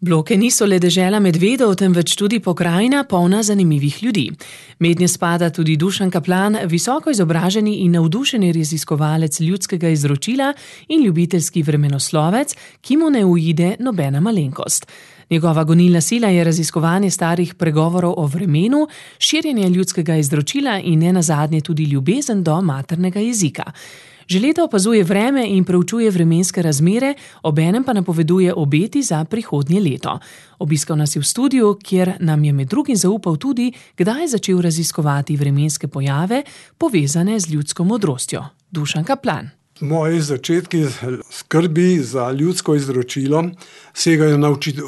Bloke niso le dežela medvedov, temveč tudi pokrajina polna zanimivih ljudi. Mednje spada tudi Dušan Kaplan, visoko izobraženi in navdušeni raziskovalec ljudskega izročila in ljubiteljski vremenoslovec, ki mu ne uide nobena malenkost. Njegova gonilna sila je raziskovanje starih pregovorov o vremenu, širjenje ljudskega izročila in nenazadnje tudi ljubezen do maternega jezika. Že leta opazuje vreme in preučuje vremenske razmere, obenem pa napoveduje obeti za prihodnje leto. Obiskal nas je v studiu, kjer nam je med drugim zaupal tudi, kdaj je začel raziskovati vremenske pojave, povezane z ljudsko modrostjo. Dušan Kaplan. Moji začetki skrbi za ljudsko izročilo segajo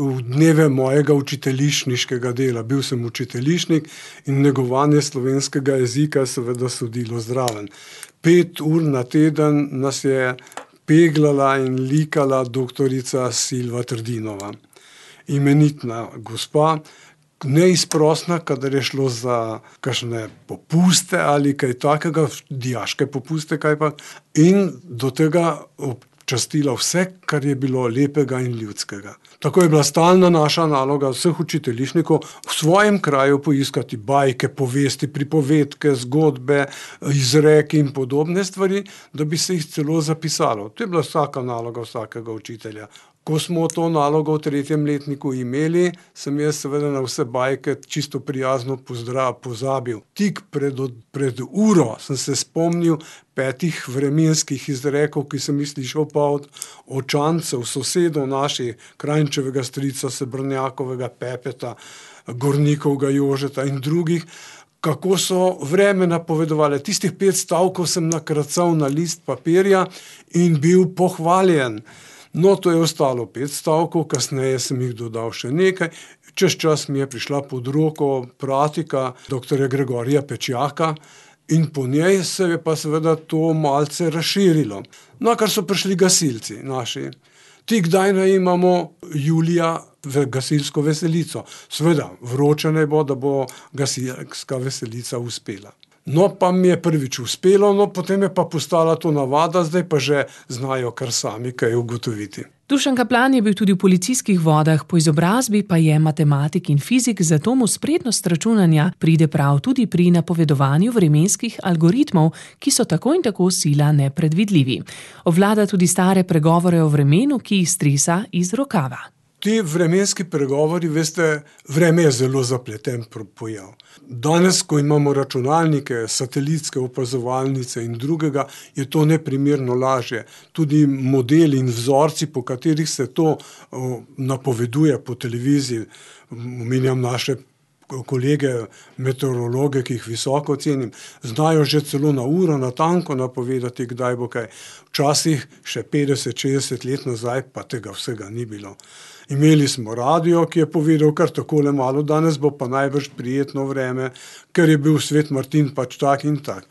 v dneve mojega učiteljišniškega dela. Bil sem učiteljišnik in negovanje slovenskega jezika seveda sodilo zraven. 5 ur na teden nas je peglala in likala doktorica Silva Trdinova. Imenitna gospa, neizprosna, kadar je šlo za kakšne popuste ali kaj takega, dijaške popuste kajpak, in do tega občastila vse, kar je bilo lepega in ljudskega. Tako je bila stalna naša naloga vseh učiteljišnikov v svojem kraju poiskati bajke, povesti, pripovedke, zgodbe, izreki in podobne stvari, da bi se jih celo zapisalo. To je bila vsaka naloga vsakega učitelja. Ko smo to nalogo v 3. letniku imeli, sem jaz seveda na vse bajke čisto prijazno pozabil. Tik pred uro sem se spomnil 5 vremenskih izrekov, ki sem jih slišal pa od očancev, sosedov naših, Krajnčevega strica, Sebrnjakovega Pepeta, Gornikovega Jožeta in drugih, kako so vreme napovedovali. Tistih 5 stavkov sem nakracal na list papirja in bil pohvaljen. No, to je ostalo 5 stavkov, kasneje sem jih dodal še nekaj. Čez čas mi je prišla pod roko pratika dr. Gregorija Pečjaka in po njej se je pa seveda to malce razširilo. No, kar so prišli gasilci naši. Ti kdaj naj imamo julija gasilsko veselico? Seveda, vroče naj bo, da bo gasilska veselica uspela. No, pa mi je prvič uspelo, no, potem je pa postala to navada, zdaj pa že znajo kar sami kaj ugotoviti. Dušan Kaplan je bil tudi v policijskih vodah, po izobrazbi pa je matematik in fizik, zato mu spretnost računanja pride prav tudi pri napovedovanju vremenskih algoritmov, ki so tako in tako sila nepredvidljivi. Obvlada tudi stare pregovore o vremenu, ki jih stresa iz rokava. Ti vremenski pregovori, veste, vreme je zelo zapleten pojav. Danes, ko imamo računalnike, satelitske opazovalnice in drugega, je to neprimerno lažje. Tudi modeli in vzorci, po katerih se to napoveduje po televiziji, omenjam naše kolege meteorologe, ki jih visoko cenim, znajo že celo na uro natanko napovedati, kdaj bo kaj. Včasih še 50-60 let nazaj pa tega vsega ni bilo. Imeli smo radio, ki je povedal kar takole malo, danes bo pa najbrž prijetno vreme, ker je bil Svet Martin pač tak in tak.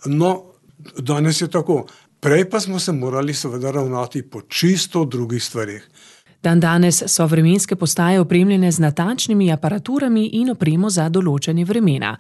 No, danes je tako. Prej pa smo se morali seveda ravnati po čisto drugih stvarih. Dandanes so vremenske postaje opremljene z natančnimi aparaturami in opremo za določanje vremena.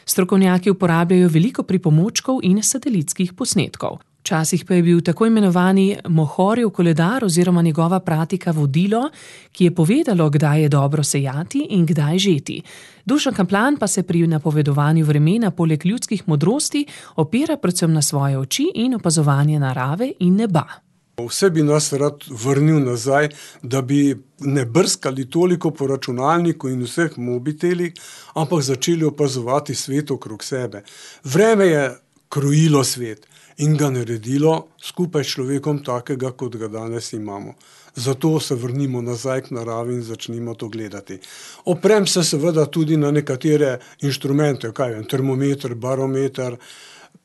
Strokovnjaki uporabljajo veliko pripomočkov in satelitskih posnetkov. Včasih pa je bil tako imenovani Mohorjev koledar oziroma njegova pratika vodilo, ki je povedalo, kdaj je dobro sejati in kdaj žeti. Dušan Kaplan pa se pri napovedovanju vremena poleg ljudskih modrosti opira predvsem na svoje oči in opazovanje narave in neba. Vse bi nas rad vrnil nazaj, da bi ne brskali toliko po računalniku in vseh mobitelih, ampak začeli opazovati svet okrog sebe. Vreme je krojilo svet in ga naredilo skupaj s človekom takega, kot ga danes imamo. Zato se vrnimo nazaj k naravi in začnimo to gledati. Oprem se seveda tudi na nekatere inštrumente, termometer, barometer,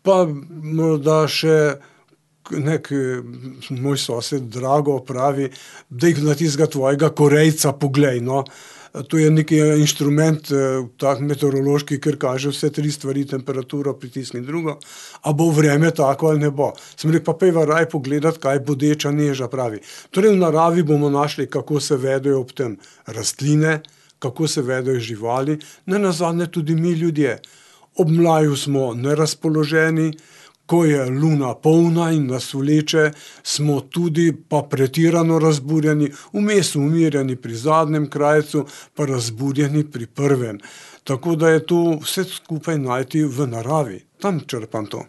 pa morda še moj sosed Drago pravi, da jih na tistega tvojega Korejca poglej, no. To je neki inštrument, tak meteorološki, ker kaže vse 3 stvari, temperaturo, pritisk in drugo, a bo vreme tako ali ne bo. Sem rekel, pa pejva raj pogledati, kaj bodeča neža pravi. Torej v naravi bomo našli, kako se vedejo ob tem rastline, kako se vedejo živali, nenazadnje tudi mi ljudje. Ob mlaju smo nerazpoloženi, Ko je luna polna in nas vleče, smo tudi pa pretirano razburjeni, vmes umirjeni pri zadnjem krajcu, pa razburjeni pri prvem. Tako da je to vse skupaj najti v naravi. Tam črpam to.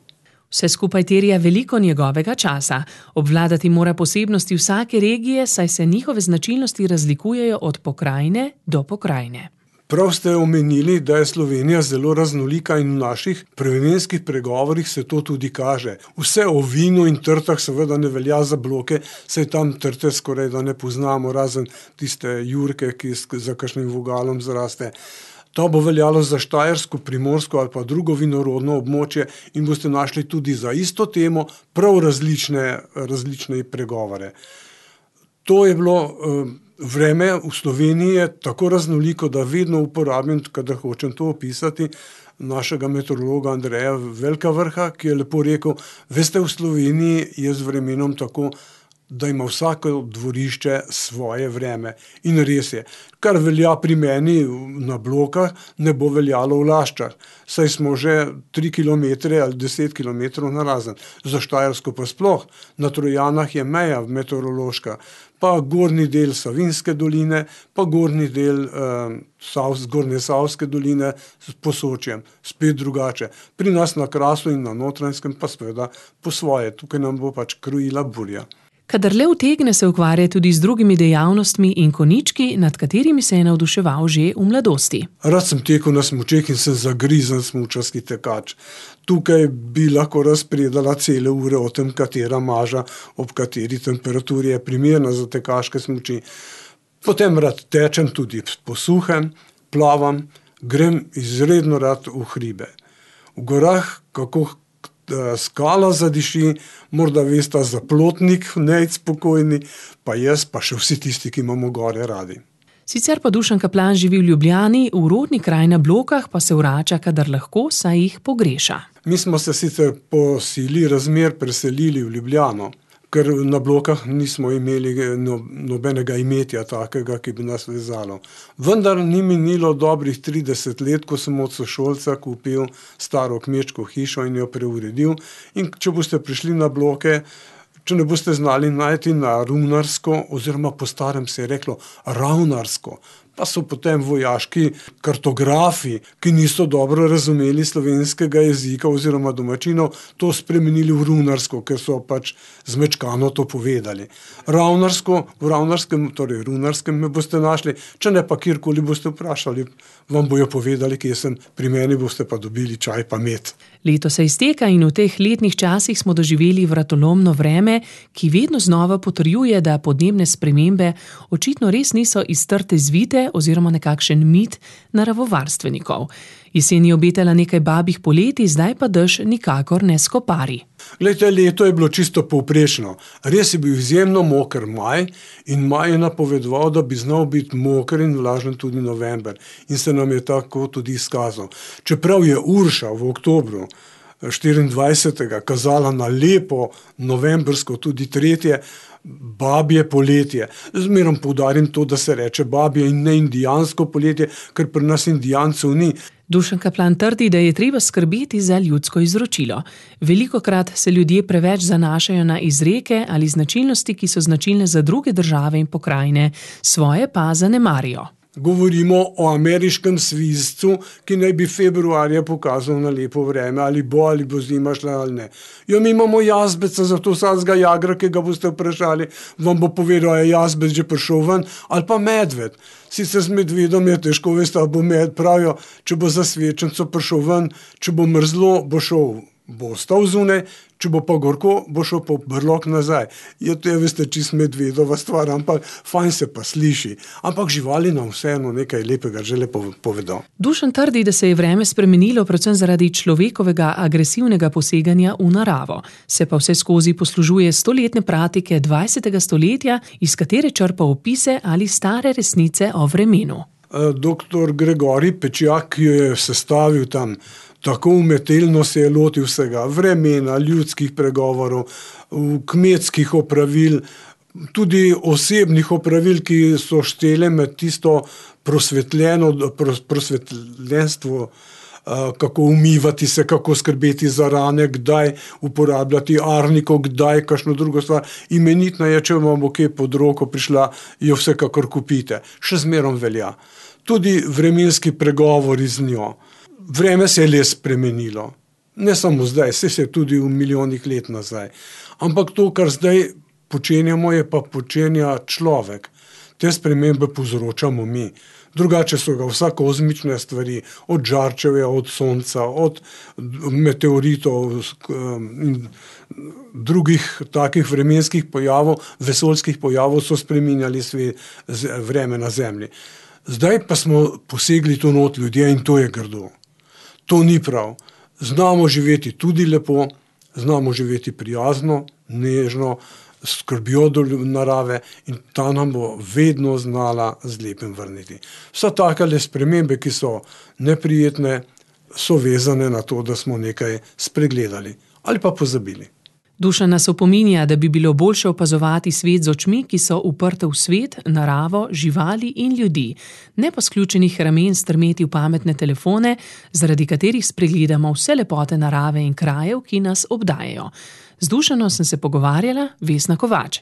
Vse skupaj terja veliko njegovega časa. Obvladati mora posebnosti vsake regije, saj se njihove značilnosti razlikujejo od pokrajine do pokrajine. Prav ste omenili, da je Slovenija zelo raznolika in v naših prvenskih pregovorih se to tudi kaže. Vse o vinu in trtah seveda ne velja za Bloke, saj tam trte skoraj da ne poznamo, razen tiste jurke, ki za kakšnim vogalom zraste. To bo veljalo za Štajersko, Primorsko ali pa drugo vinorodno območje in boste našli tudi za isto temo prav različne pregovore. To je bilo vreme v Sloveniji je tako raznoliko, da vedno uporabim, kadar hočem to opisati, našega meteorologa Andreja Velkavrha, ki je lepo rekel, veste, v Sloveniji je z vremenom tako, da ima vsako dvorišče svoje vreme. In res je, kar velja pri meni na Blokah, ne bo veljalo v Laščah. Saj smo že 3 km ali 10 km narazen. Za Štajersko pa sploh. Na Trojanah je meja meteorološka. Pa gornji del Savinjske doline, pa gornji del Zgornje Savske doline s Posočjem. Spet drugače. Pri nas na Krasu in na Notranjskem pa seveda po svoje. Tukaj nam bo pač krojila burja. Kadar le utegne, se ukvarja tudi z drugimi dejavnostmi in konjički, nad katerimi se je navduševal že v mladosti. Rad sem tekel na smučeh in sem zagrizen smučarski tekač. Tukaj bi lahko razpredala cele ure o tem, katera maža ob kateri temperaturi je primerna za tekaške smuči. Potem rad tečem tudi po suhem, plavam, grem izredno rad v hribe. V gorah, kako skala zadiši, morda vesta Zaplotnik, Nejc spokojni, pa jaz, pa še vsi tisti, ki imamo gore radi. Sicer pa Dušan Kaplan živi v Ljubljani, v rodni kraj na Blokah pa se vrača, kadar lahko, saj jih pogreša. Mi smo se sicer po sili razmer preselili v Ljubljano, ker na Blokah nismo imeli nobenega imetja takega, ki bi nas vezalo. Vendar ni minilo dobrih 30 let, ko sem od sošolca kupil staro kmečko hišo in jo preuredil. In če boste prišli na Bloke, če ne boste znali najti na runarsko, oziroma po starem se je reklo ravnarsko, pa so potem vojaški kartografi, ki niso dobro razumeli slovenskega jezika oziroma domačinov, to spremenili v runarsko, ker so pač zmečkano to povedali. Ravnarsko, v ravnarskem, torej runarskem me boste našli, če ne pa kjerkoli boste vprašali, vam bojo povedali, kje sem, pri meni boste pa dobili čaj pa med. Leto se izteka in v teh letnih časih smo doživeli vratolomno vreme, ki vedno znova potrjuje, da podnebne spremembe očitno res niso iz trte zvite oziroma nekakšen mit naravovarstvenikov. Jesen je obetala nekaj babih poletij, zdaj pa dež nikakor ne skopari. Glejte, leto je bilo čisto povprečno. Res je bil izjemno moker maj in maj je napovedoval, da bi znal biti moker in vlažen tudi november. In se nam je tako tudi izkazal. Čeprav je Urša v oktobru 24. kazala na lepo novembrsko, tudi 3. babje poletje. Zmerom poudarim to, da se reče babje in ne indijansko poletje, ker pri nas indijancev ni. Dušan Kaplan trdi, da je treba skrbeti za ljudsko izročilo. Velikokrat se ljudje preveč zanašajo na izreke ali značilnosti, ki so značilne za druge države in pokrajine, svoje pa zanemarijo. Govorimo o ameriškem svizcu, ki naj bi februarja pokazal na lepo vreme, ali bo zima šla ali ne. Jo, mi imamo jazbeca, zato vsakega jagra, ki ga boste vprašali, vam bo povedal, je jazbec že prišel ven, ali pa medved. Sicer z medvedom je težko, veste, bo pravijo, če bo za svečenco prišel ven, če bo mrzlo, bo ostal zunaj, če bo pa gorko, bo šel po brlog nazaj. To je, veste, čist medvedova stvar, ampak fajn se pa sliši. Ampak živali nam vseeno nekaj lepega že lepo povedo. Dušan trdi, da se je vreme spremenilo predvsem zaradi človekovega agresivnega poseganja v naravo. Se pa vse skozi poslužuje stoletne praktike 20. stoletja, iz katere črpa opise ali stare resnice o vremenu. Doktor Gregorij Pečjak, ki jo je sestavil tam, tako umetelno se je lotil vsega, vremena, ljudskih pregovorov, kmetskih opravil, tudi osebnih opravil, ki so štele med tisto prosvetljenstvo kako umivati se, kako skrbeti za rane, kdaj uporabljati arniko, kdaj kakšno drugo stvar. Imenitna je, če vam bo kje pod roko prišla, jo vsekakor kupite. Še zmerom velja. Tudi vremenski pregovori z njo. Vreme se je le spremenilo. Ne samo zdaj, se je tudi v milijonih let nazaj. Ampak to, kar zdaj počenjamo, je pa počenja človek. Te spremembe povzročamo mi. Drugače so ga vsa kozmične stvari, od žarčevja, od sonca, od meteoritov in drugih takih vremenskih pojavov, vesoljskih pojavov so spreminjali vreme na Zemlji. Zdaj pa smo posegli tu not ljudje in to je grdo. To ni prav. Znamo živeti tudi lepo, znamo živeti prijazno, nežno, skrbjo do narave in ta nam bo vedno znala z lepim vrniti. Vsa takale spremembe, ki so neprijetne, so vezane na to, da smo nekaj spregledali ali pa pozabili. Dušan nas opominja, da bi bilo boljše opazovati svet z očmi, ki so uprte v svet, naravo, živali in ljudi, ne pa sključenih ramen strmeti v pametne telefone, zaradi katerih spregledamo vse lepote narave in krajev, ki nas obdajajo. Z Dušanom sem se pogovarjala, Vesna Kovač.